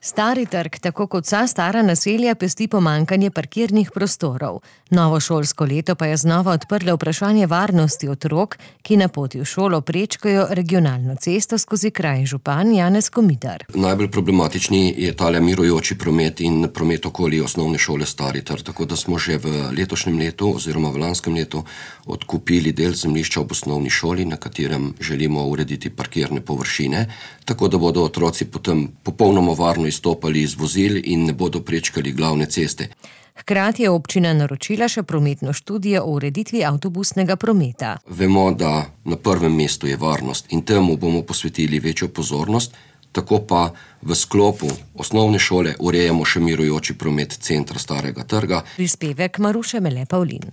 Stari trg, tako kot vsa stara naselja, pesti pomanjkanje parkirnih prostorov. Novo šolsko leto pa je znova odprlo vprašanje varnosti otrok, ki na poti v šolo prečkajo regionalno cesto skozi kraj. Župan Janez Komitar. Najbolj problematični je tale mirujoči promet in promet okoli osnovne šole Stari trg, tako da smo že v letošnjem letu oziroma v lanskem letu odkupili del zemljišča ob osnovni šoli, na katerem želimo urediti parkirne površine, tako da bodo otroci potem popolnoma varno izstopali iz vozil in ne bodo prečkali glavne ceste. Hkrati je občina naročila še prometno študijo o ureditvi avtobusnega prometa. Vemo, da na prvem mestu je varnost in temu bomo posvetili večjo pozornost, tako pa v sklopu osnovne šole urejamo še mirujoči promet centra Starega trga. Prispevek Maruše Mele Pavlin.